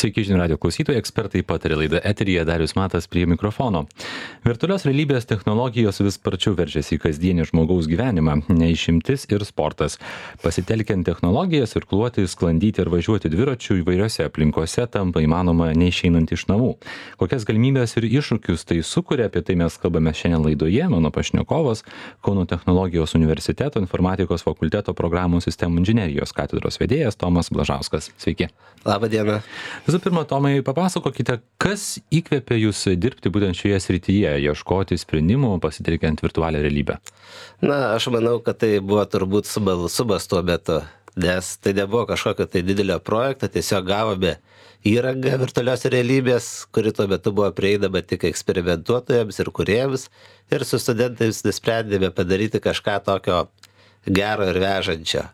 Sveiki, žinių radio klausytojai, ekspertai pataria laida eteryje, Darius Matas prie mikrofono. Virtualios realybės technologijos vis sparčiau veržiasi į kasdienį žmogaus gyvenimą, neišimtis ir sportas. Pasitelkiant technologijas, irkluoti, sklandyti ir važiuoti dviračiu įvairiose aplinkose tampa įmanoma neišeinant iš namų. Kokias galimybės ir iššūkius tai sukuria, apie tai mes kalbame šiandien laidoje. Mano pašnekovas Kauno technologijos universiteto informatikos fakulteto programų sistemų inžinerijos katedros vedėjas Tomas Blažauskas. Sveiki. Labą dieną. Visų pirma, Tomai, papasakokite, kas įkvėpė jūs dirbti būtent šioje srityje, ieškoti sprendimų, pasitelkiant virtualią realybę? Na, aš manau, kad tai buvo turbūt subas tuo metu, nes tai nebuvo kažkokio tai didelio projekto, tiesiog gavome įrangą virtualios realybės, kuri tuo metu buvo prieinama tik eksperimentuotojams ir kūrėjams, ir su studentais nusprendėme padaryti kažką tokio gero ir vežančio.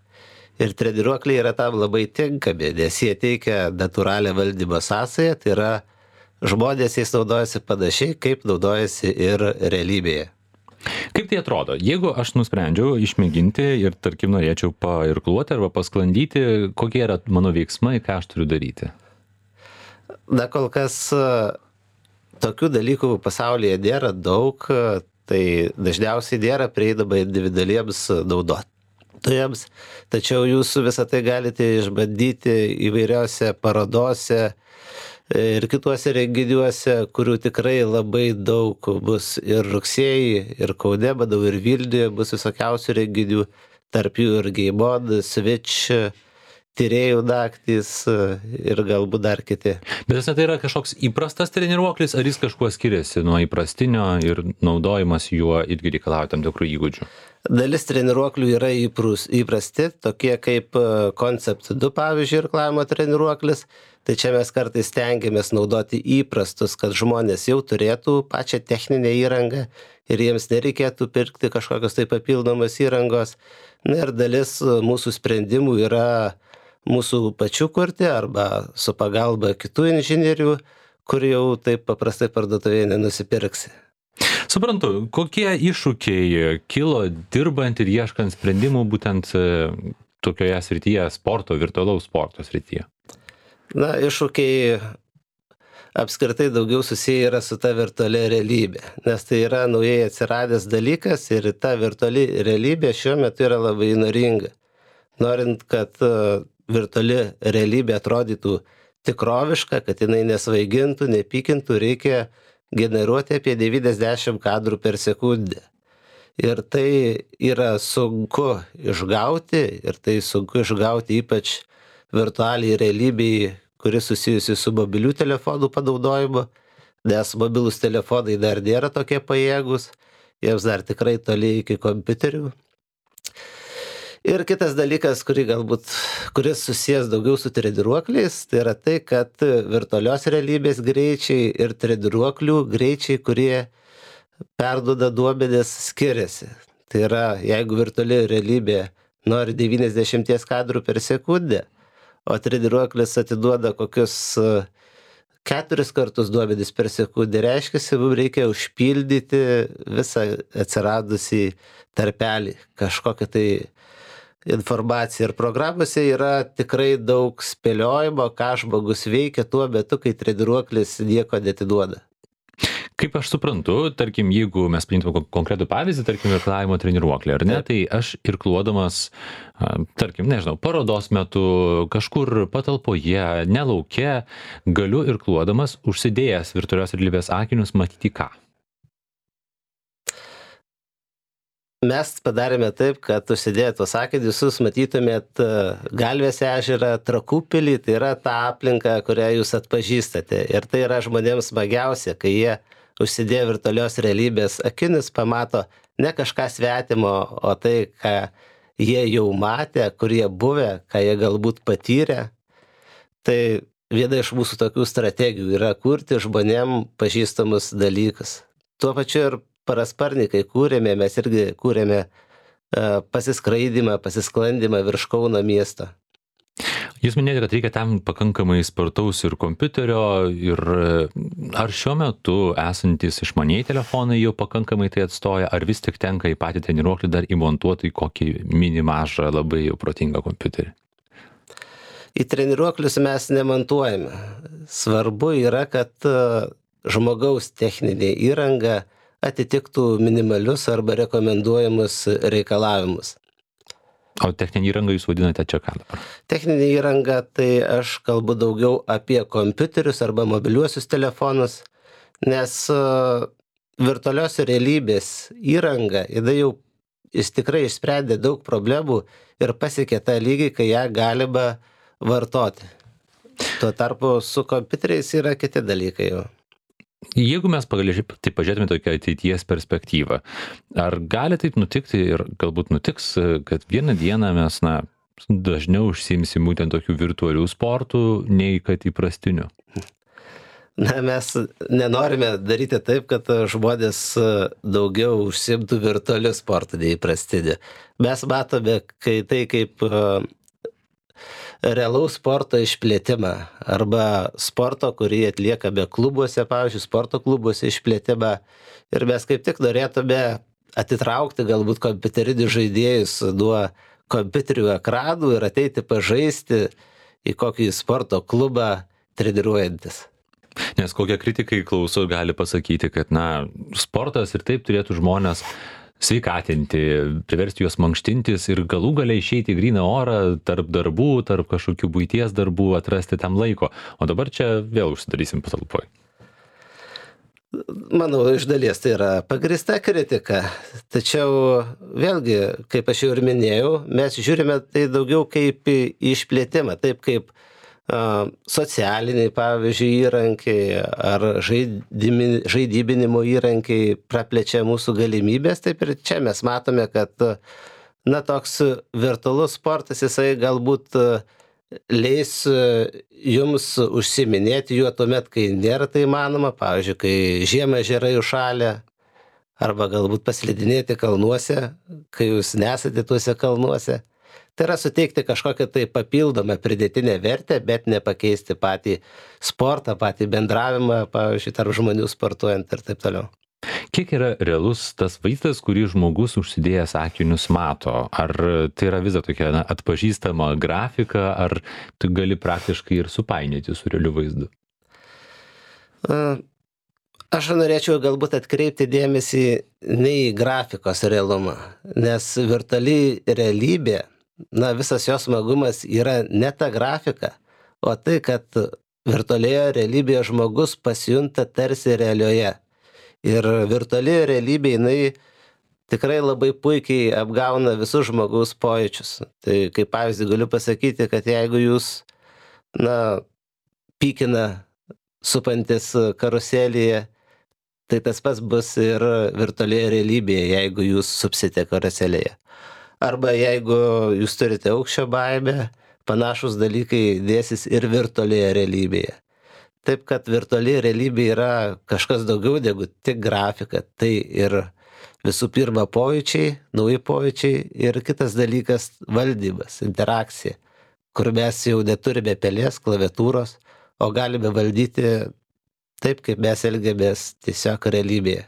Ir treniruokliai yra tam labai tinkami, nes jie teikia natūralią valdymo sąsają, tai yra žmonės jais naudojasi panašiai, kaip naudojasi ir realybėje. Kaip tai atrodo? Jeigu aš nusprendžiau išmėginti ir, tarkim, norėčiau pairkluoti arba pasklandyti, kokie yra mano veiksmai, ką aš turiu daryti? Na, kol kas tokių dalykų pasaulyje nėra daug, tai dažniausiai nėra prieinama individualiems naudotojams. Tačiau jūs visą tai galite išbandyti įvairiose parodose ir kituose renginiuose, kurių tikrai labai daug bus ir rugsėjį, ir Kaune, manau, ir Vilniuje bus visokiausių renginių, tarp jų ir Game On, Switch, tyrėjų naktys ir galbūt dar kiti. Bet tai yra kažkoks įprastas treniruoklis, ar jis kažkuo skiriasi nuo įprastinio ir naudojimas juo irgi reikalauja tam tikrų įgūdžių? Dalis treniruoklių yra įprasti, tokie kaip Concept 2, pavyzdžiui, irklavimo treniruoklis. Tai čia mes kartais stengiamės naudoti įprastus, kad žmonės jau turėtų pačią techninę įrangą ir jiems nereikėtų pirkti kažkokios tai papildomos įrangos. Na ir dalis mūsų sprendimų yra mūsų pačių kurti arba su pagalba kitų inžinierių, kur jau taip paprastai parduotuvėje nenusipirksi. Suprantu, kokie iššūkiai kilo dirbant ir ieškant sprendimų būtent tokioje srityje sporto, virtualaus sporto srityje? Na, iššūkiai apskritai daugiau susiję yra su ta virtualia realybė, nes tai yra naujai atsiradęs dalykas ir ta virtuali realybė šiuo metu yra labai įnoringa. Norint, kad virtuali realybė atrodytų tikroviška, kad jinai nesvaigintų, nepykintų, reikia generuoti apie 90 kadrų per sekundę. Ir tai yra sunku išgauti, ypač virtualiai realybei, kuris susijusi su mobilių telefonų panaudojimu, nes mobilūs telefonai dar nėra tokie pajėgus, jiems dar tikrai toli iki kompiuterių. Ir kitas dalykas, kuris susijęs daugiau su treniruokliais, tai yra tai, kad virtualios realybės greičiai ir treniruoklių greičiai, kurie perduoda duomenis, skiriasi. Tai yra, jeigu virtuali realybė nori 90 kadrų per sekundę, o treniruoklis atiduoda kokius 4 kartus duomenis per sekundę, reiškia, mums reikia užpildyti visą atsiradusį tarpelį, kažkokią tai informacija, ir programuose yra tikrai daug spėliojimo, ką žmogus veikia tuo metu, kai treniruoklis nieko neatiduoda. Kaip aš suprantu, tarkim, jeigu mes paimtume konkretų pavyzdį, tarkim, irklavimo treniruoklį, ar ne, tai aš irkluodamas, tarkim, nežinau, parodos metu, kažkur patalpoje, nelauke, galiu irkluodamas, užsidėjęs virtualios realybės akinius, matyti ką? Mes padarėme taip, kad užsidėję tuos akinius jūs matytumėt Galvės ežerą, Trakų pilį, tai yra ta aplinka, kurią jūs atpažįstate. Ir tai yra žmonėms smagiausia, kai jie užsidėję virtualios realybės akinius pamato ne kažką svetimo, o tai, ką jie jau matė, kur jie buvę, ką jie galbūt patyrė. Tai viena iš mūsų tokių strategijų yra kurti žmonėm pažįstamus dalykus. Tuo pačiu ir parasparnikai kūrėme, mes irgi kūrėme pasiskraidimą, pasisklandimą virš Kauno miesto. Jūs minėjote, kad reikia tam pakankamai spartaus ir kompiuterio, ir ar šiuo metu esantis išmanieji telefonai jau pakankamai tai atstoja, ar vis tik tenka į patį treniruoklį dar įmontuoti į kokį mini mažą, labai jau protingą kompiuterį? Į treniruoklius mes nemontuojame. Svarbu yra, kad žmogaus techninė įranga atitiktų minimalius arba rekomenduojamus reikalavimus. O techninį įrangą jūs vadinate čia ką dabar? Techninė įranga, tai aš kalbu daugiau apie kompiuterius arba mobiliuosius telefonus, nes virtualios realybės įranga, jis tikrai išsprendė daug problemų ir pasiekė tą lygį, kai ją galima vartoti. Tuo tarpu su kompiuteriais yra kiti dalykai jau. Jeigu mes tai pažiūrėtume tokią ateities perspektyvą, ar gali taip nutikti ir galbūt nutiks, kad vieną dieną mes dažniau užsiimsim būtent tokių virtualių sportų, nei kad įprastinių? Mes nenorime daryti taip, kad žmonės daugiau užsiimtų virtualių sportų nei įprastinių. Mes matome tai kaip realaus sporto išplėtimą arba sporto, kurį atliekame klubuose, pavyzdžiui, sporto klubuose išplėtimą. Ir mes kaip tik norėtume atitraukti galbūt kompiuterinius žaidėjus nuo kompiuterių ekranų ir ateiti pažaisti į kokį sporto klubą treniruojantis. Nes kokie kritikai klauso gali pasakyti, kad sportas ir taip turėtų žmonės sveikatinti, priversti juos mankštintis ir galų gale išeiti į gryną orą tarp darbų, tarp kažkokių buities darbų, atrasti tam laiko. O dabar čia vėl užsidarysim patalpoj. Manau, iš dalies tai yra pagrįsta kritika. Tačiau vėlgi, kaip aš jau ir minėjau, mes žiūrime tai daugiau kaip į išplėtimą, taip kaip socialiniai, pavyzdžiui, įrankiai ar žaidybinimo įrankiai praplečia mūsų galimybės, taip ir čia mes matome, kad toks virtualus sportas, jisai galbūt leis jums užsiiminėti juo tuomet, kai nėra tai įmanoma, pavyzdžiui, kai žiemą ežerai užšalę, arba galbūt paslidinėti kalnuose, kai jūs nesate tuose kalnuose. Tai yra suteikti kažkokią tai papildomą pridėtinę vertę, bet nepakeisti patį sportą, patį bendravimą, pavyzdžiui, tarp žmonių sportuojant ir taip toliau. Kiek yra realus tas vaizdas, kurį žmogus užsidėjęs akinius mato? Ar tai yra vis tokia atpažįstama grafika, ar tu gali praktiškai ir supainioti su realiu vaizdu? Aš norėčiau galbūt atkreipti dėmesį ne į grafikos realumą, nes virtuali realybė, visas jos smagumas yra ne ta grafika, o tai, kad virtualioje realybėje žmogus pasijunta tarsi realioje. Ir virtuali realybė, jinai tikrai labai puikiai apgauna visus žmogaus pojūčius. Tai kaip pavyzdį galiu pasakyti, kad jeigu jūs, pykina supantis karuselėje, tai tas pats bus ir virtualioje realybėje, jeigu jūs supsite karuselėje. Arba jeigu jūs turite aukščio baimę, panašus dalykai dėsis ir virtualioje realybėje. Taip, kad virtuali realybė yra kažkas daugiau negu tik grafika. Tai ir visų pirma pojūčiai, nauji pojūčiai ir kitas dalykas valdymas, interakcija, kur mes jau neturime pelės, klaviatūros, o galime valdyti taip, kaip mes elgiamės tiesiog realybėje.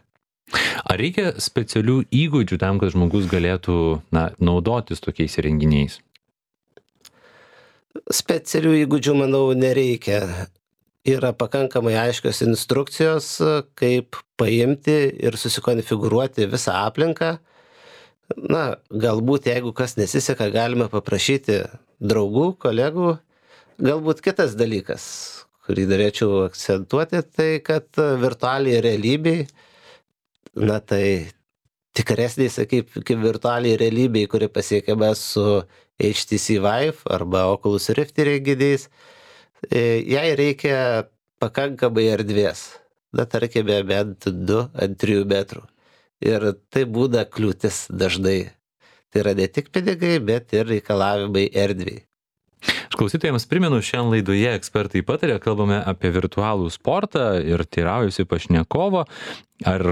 Ar reikia specialių įgūdžių tam, kad žmogus galėtų naudotis tokiais įrenginiais? Specialių įgūdžių, manau, nereikia. Yra pakankamai aiškios instrukcijos, kaip paimti ir susikonfigūruoti visą aplinką. Galbūt, jeigu kas nesiseka, galime paprašyti draugų, kolegų. Galbūt kitas dalykas, kurį norėčiau akcentuoti, tai kad virtualiai realybėj, tai tikresniai, kaip virtualiai realybėj, kuri pasiekiama su HTC Vive arba Oculus Rift įrenginiais, jai reikia pakankamai erdvės. Tarkime, bent 2 ant 3 metrų. Ir tai būna kliūtis dažnai. Tai yra ne tik pinigai, bet ir reikalavimai erdvei. Klausytojams primenu, šiandien laidoje ekspertai pataria, kalbame apie virtualų sportą ir teiraujuosi pašnekovo, ar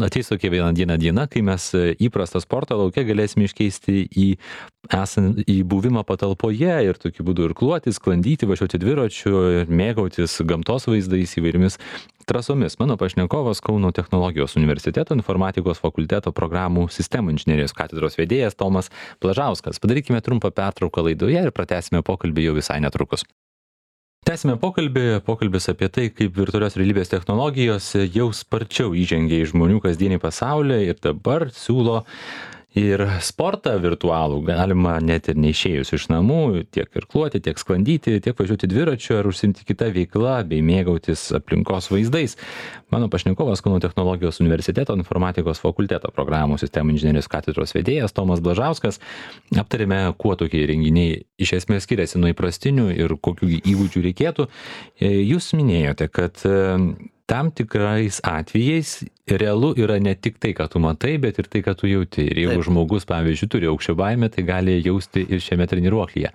ateis tokia viena diena, kai mes įprastą sportą lauke galėsime iškeisti į buvimą patalpoje ir tokiu būdu irkluoti, sklandyti, važiuoti dviračiu, mėgautis gamtos vaizdais įvairiomis trasomis. Mano pašnekovas Kauno technologijos universiteto informatikos fakulteto programų sistemų inžinerijos katedros vedėjas Tomas Blažauskas. Padarykime trumpą pertrauką laidoje ir pratęsime pokalbį jau visai netrukus. Tęsime pokalbis apie tai, kaip virtualios realybės technologijos jau sparčiau įžengia į žmonių kasdienį pasaulį ir dabar siūlo ir sportą virtualų. Galima net ir neišėjus iš namų tiek irkluoti, tiek sklandyti, tiek važiuoti dviračiu ar užsiimti kitą veiklą bei mėgautis aplinkos vaizdais. Mano pašnekovas Kauno technologijos universiteto informatikos fakulteto programų sistemų inžinerijos katedros vedėjas Tomas Blažauskas. Aptarėme, kuo tokie įrenginiai iš esmės skiriasi nuo įprastinių ir kokių įgūdžių reikėtų. Jūs minėjote, kad tam tikrais atvejais realu yra ne tik tai, ką tu matai, bet ir tai, ką tu jauti. Ir jeigu žmogus, pavyzdžiui, turi aukščio baimę, tai gali jausti ir šiame treniruoklyje.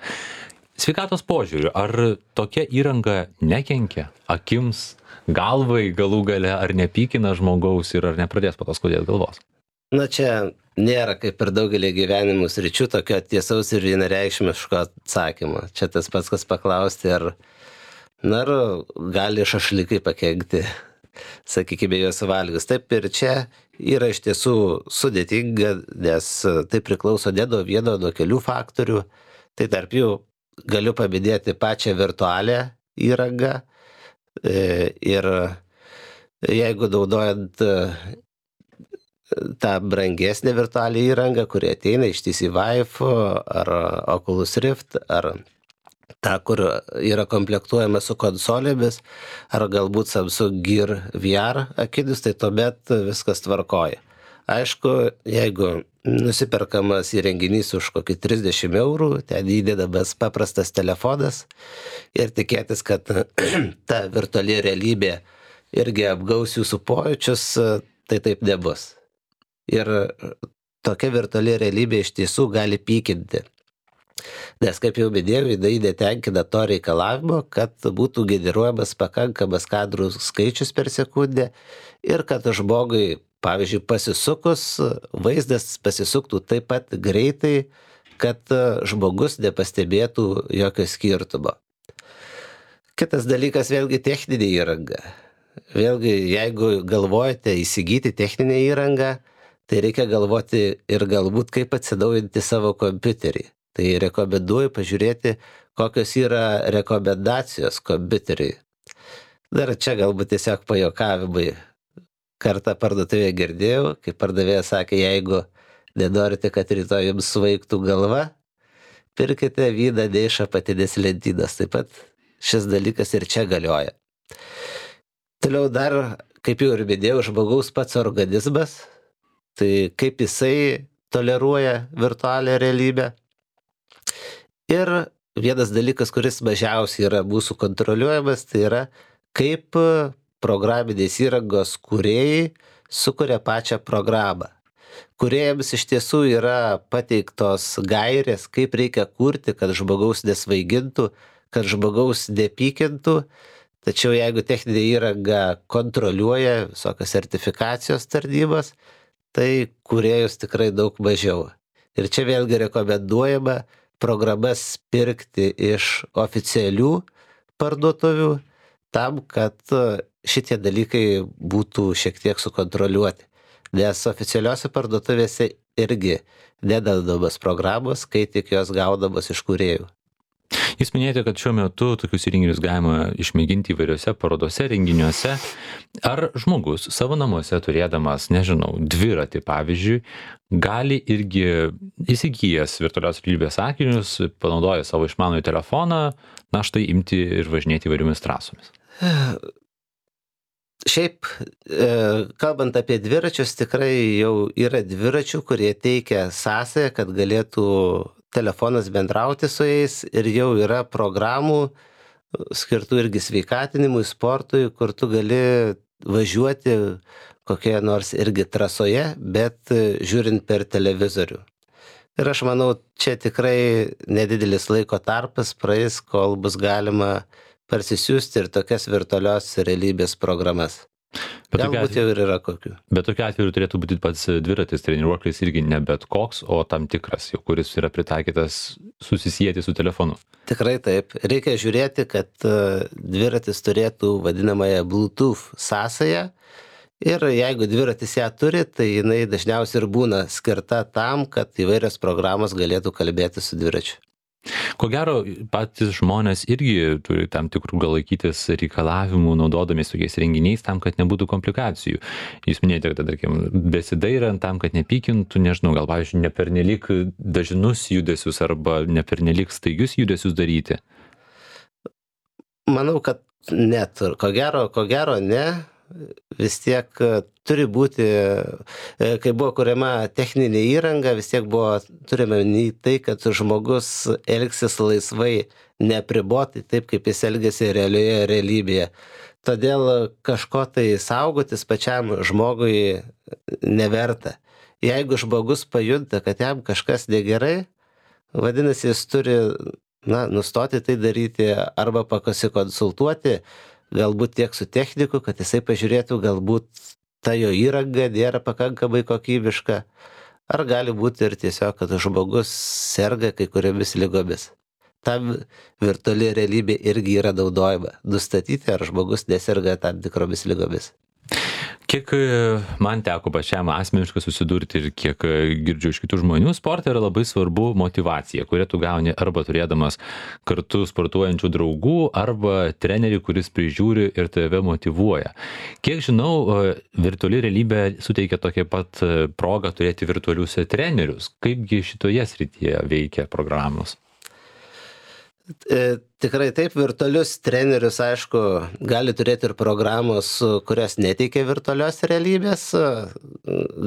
Sveikatos požiūriu, ar tokia įranga nekenkia akims, galvai galų gale, ar nepykina žmogaus ir ar nepradės po to skaudėti galvos? Na čia nėra kaip per daugelį gyvenimų sričių tokio tiesaus ir vienareikšmiško atsakymo. Čia tas pats, kas paklausti, ar gali šašlykai pakenkti, sakykime, juos valgius. Taip ir čia yra iš tiesų sudėtinga, nes tai priklauso ne nuo vieno, nuo kelių faktorių. Tai tarp jų galiu paminėti pačią virtualią įrangą. Ir jeigu naudojant tą brangesnę virtualią įrangą, kuri ateina iš HTC Vive ar Oculus Rift, ar ta, kur yra komplektuojama su konsolėmis, ar galbūt Samsung Gear VR akinius, tai tuomet viskas tvarkoja. Aišku, jeigu nusiperkamas įrenginys už kokį 30 eurų, ten įdedamas paprastas telefonas ir tikėtis, kad ta virtuali realybė irgi apgaus jūsų pojūčius, tai taip nebus. Ir tokia virtuali realybė iš tiesų gali pykinti. Nes, kaip jau minėjau, jinai netenkina to reikalavimo, kad būtų generuojamas pakankamas kadrų skaičius per sekundę ir kad žmogui, pavyzdžiui, pasisukus, vaizdas pasisuktų taip pat greitai, kad žmogus nepastebėtų jokio skirtumo. Kitas dalykas vėlgi techninė įranga. Vėlgi, jeigu galvojate įsigyti techninę įrangą, tai reikia galvoti ir galbūt kaip atsinaujinti savo kompiuterį. Tai rekomenduoju pažiūrėti, kokios yra rekomendacijos kompiuteriui. Dar čia galbūt tiesiog pajuokavimai. Kartą parduotuvėje girdėjau, kai pardavėjas sakė, jeigu nenorite, kad rytoj jums svaigtų galva, pirkite vyną ne iš apatinės lentynos. Taip pat šis dalykas ir čia galioja. Toliau dar, kaip jau ir minėjau, žmogaus pats organizmas, tai kaip jisai toleruoja virtualią realybę. Ir vienas dalykas, kuris mažiausiai yra mūsų kontroliuojamas, tai yra kaip programinės įrangos kūrėjai sukuria pačią programą. Kūrėjams iš tiesų yra pateiktos gairės, kaip reikia kurti, kad žmogaus nesvaigintų, kad žmogaus nepykintų. Tačiau jeigu techninė įranga kontroliuoja visokios sertifikacijos tarnybos, tai kūrėjus tikrai daug mažiau. Ir čia vėlgi rekomenduojama programas pirkti iš oficialių parduotuvių tam, kad šitie dalykai būtų šiek tiek sukontroliuoti. Nes oficialiuose parduotuvėse irgi nededamos programos, kai tik jos gaudamos iš kūrėjų. Jūs minėjote, kad šiuo metu tokius įrenginius galima išmėginti įvairiose parodose, renginiuose. Ar žmogus savo namuose turėdamas, nežinau, dviratį pavyzdžiui, gali irgi įsigijęs virtualios realybės akinius, panaudoja savo išmanųjį telefoną, na štai imti ir važinėti įvairiomis trasomis? Šiaip, kalbant apie dviračius, tikrai jau yra dviračių, kurie teikia sąsają, kad galėtų telefonas bendrauti su jais, ir jau yra programų skirtų irgi sveikatinimui, sportui, kur tu gali važiuoti kokioje nors irgi trasoje, bet žiūrint per televizorių. Ir aš manau, čia tikrai nedidelis laiko tarpas praeis, kol bus galima parsisiųsti ir tokias virtualios realybės programas. Bet tokiu Galbūt jau atveju, ir yra kokių. bet tokiu atveju turėtų būti pats dviratis treniruoklis irgi ne bet koks, o tam tikras, jau kuris yra pritaikytas susisieti su telefonu. Tikrai taip. Reikia žiūrėti, kad dviratis turėtų vadinamąją Bluetooth sąsają. Ir jeigu dviratis ją turi, tai jinai dažniausiai ir būna skirta tam, kad įvairios programos galėtų kalbėti su dviračiu. Ko gero, patys žmonės irgi turi tam tikrų gal laikytis reikalavimų, naudodamis tokiais renginiais, tam, kad nebūtų komplikacijų. Jūs minėjote, kad, tarkim, besidairant tam, kad nepykintų, nežinau, gal, pavyzdžiui, ne pernelyg dažnus judesius arba ne pernelyg staigius judesius daryti. Manau, kad net, ko gero ne. Vis tiek turi būti, kai buvo kuriama techninė įranga, vis tiek buvo, turime į tai, kad žmogus elgsis laisvai, neapribotai, taip kaip jis elgiasi realioje realybėje. Todėl kažko tai saugotis pačiam žmogui neverta. Jeigu žmogus pajunta, kad jam kažkas negerai, vadinasi, jis turi nustoti tai daryti arba pasikonsultuoti, galbūt tiek su techniku, kad jisai pažiūrėtų, galbūt ta jo įranga nėra pakankamai kokybiška, ar gali būti ir tiesiog, kad žmogus serga kai kuriomis ligomis. Tam virtuali realybė irgi yra naudojama, nustatyti, ar žmogus neserga tam tikromis ligomis. Kiek man teko pačiam asmeniškai susidurti ir kiek girdžiu iš kitų žmonių, sporte yra labai svarbu motyvacija, kurią tu gauni arba turėdamas kartu sportuojančių draugų, arba trenerį, kuris prižiūri ir tave motyvuoja. Kiek žinau, virtuali realybė suteikia tokią pat progą turėti virtualius trenerius. Kaipgi šitoje srityje veikia programos? Tikrai taip, virtualius trenerius, aišku, gali turėti ir programos, kurios neteikia virtualios realybės,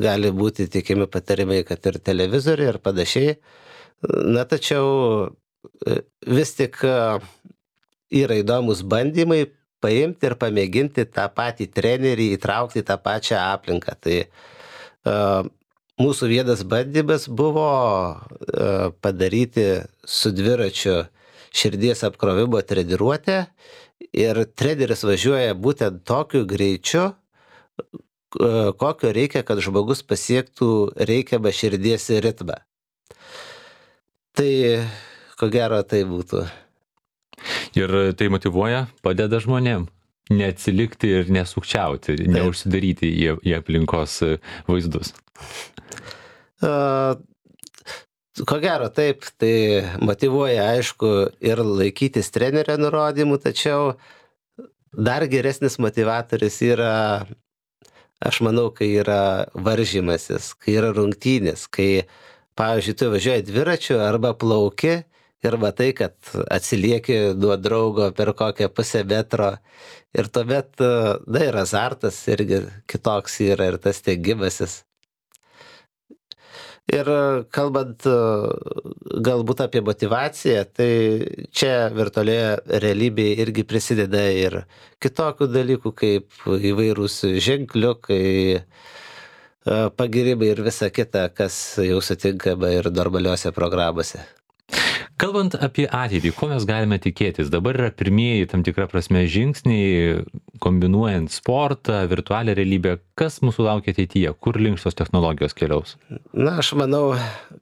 gali būti teikiami patarimai, kad ir televizoriai ir panašiai. Tačiau vis tik yra įdomus bandymai paimti ir pamėginti tą patį trenerį įtraukti į tą pačią aplinką. Tai mūsų vienas bandymas buvo padaryti su dviračiu širdies apkrovimo treniruotę ir treneris važiuoja būtent tokiu greičiu, kokio reikia, kad žmogus pasiektų reikiamą širdies ritmą. Tai ko gero tai būtų. Ir tai motyvuoja, padeda žmonėm neatsilikti ir nesukčiauti, neužsidaryti į aplinkos vaizdus. Ko gero taip, tai motyvuoja, aišku, ir laikytis trenerio nurodymų, tačiau dar geresnis motivatorius yra, aš manau, kai yra varžymasis, kai yra rungtynės, kai, pavyzdžiui, tu važiuoji dviračiu arba plauki ir matai, kad atsilieki nuo draugo per kokią pusę metro ir tuomet, ir azartas irgi kitoks yra ir tas tengimasis. Ir kalbant galbūt apie motyvaciją, tai čia virtualioje realybėje irgi prisideda ir kitokių dalykų, kaip įvairūs ženkliukai, pagirimai ir visa kita, kas jau sutinkama ir normaliuose programuose. Kalbant apie ateitį, ko mes galime tikėtis? Dabar yra pirmieji tam tikra prasme žingsniai, kombinuojant sportą, virtualią realybę. Kas mūsų laukia ateityje? Kur link šios technologijos keliaus? Aš manau,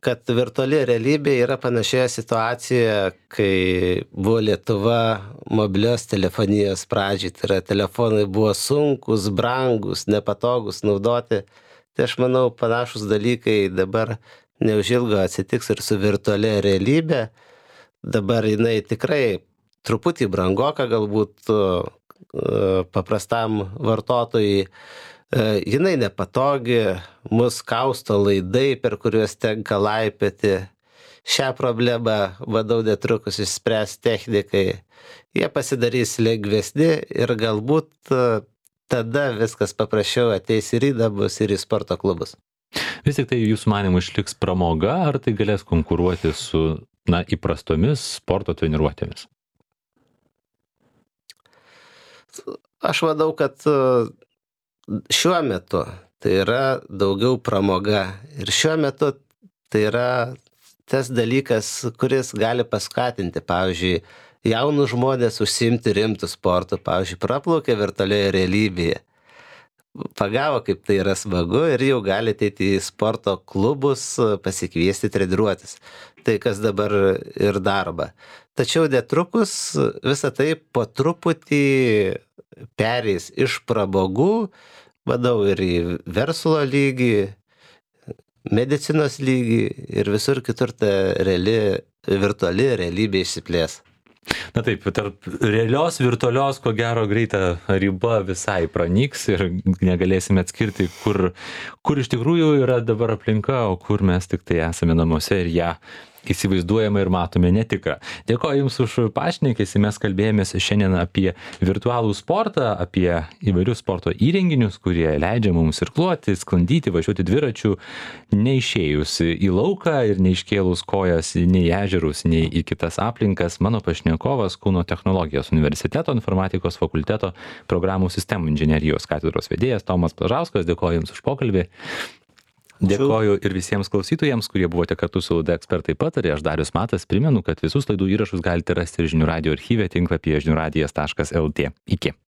kad virtuali realybė yra panašioje situacijoje, kai buvo Lietuva mobilios telefonijos pradžiai. Tai yra, telefonai buvo sunkus, brangus, nepatogus naudoti. Tai aš manau, panašus dalykai dabar neužilgo atsitiks ir su virtualia realybė. Dabar jinai tikrai truputį brangoka galbūt paprastam vartotojui. Jinai nepatogi, mus kausto laidai, per kuriuos tenka laipioti. Šią problemą, manau, netrukus išspręs technikai. Jie pasidarys lengvesni ir galbūt tada viskas paprasčiau ateis ir į namus, ir į sporto klubus. Vis tik tai jūsų manimų išliks pramoga, ar tai galės konkuruoti su įprastomis sporto treniruotėmis? Aš manau, kad šiuo metu tai yra daugiau pramoga. Ir šiuo metu tai yra tas dalykas, kuris gali paskatinti, pavyzdžiui, jaunus žmonės užsiimti rimtų sportų, pavyzdžiui, praplaukia virtualioje realybėje. pagavo, kaip tai yra smagu ir jau gali ateiti į sporto klubus, pasikviesti treniruotis. Tai kas dabar ir darba. Tačiau netrukus visą tai po truputį pereis iš pramogų, manau, ir į verslo lygį, medicinos lygį ir visur kitur ta virtuali realybė išsiplės. Na taip, tarp realios, virtualios, ko gero greita riba visai pranyks ir negalėsime atskirti, kur iš tikrųjų yra dabar aplinka, o kur mes tik tai esame namuose ir ją įsivaizduojame ir matome netikrą. Dėkoju Jums už pašnekesį, mes kalbėjomės šiandien apie virtualų sportą, apie įvairius sporto įrenginius, kurie leidžia mums irkluoti, sklandyti, važiuoti dviračiu, neišėjus į lauką ir neiškėlus kojas nei į ežerus, nei į kitas aplinkas. Mano pašnekovas Kauno technologijos universiteto informatikos fakulteto programų sistemų inžinerijos katedros vedėjas Tomas Plažauskas. Dėkoju Jums už pokalbį. Dėkoju ir visiems klausytojams, kurie buvote kartu su laida Ekspertai pataria. Aš Darius Matas primenu, kad visus laidų įrašus galite rasti ir žinių radijo archyve tinklapyje žiniųradijas.lt. Iki.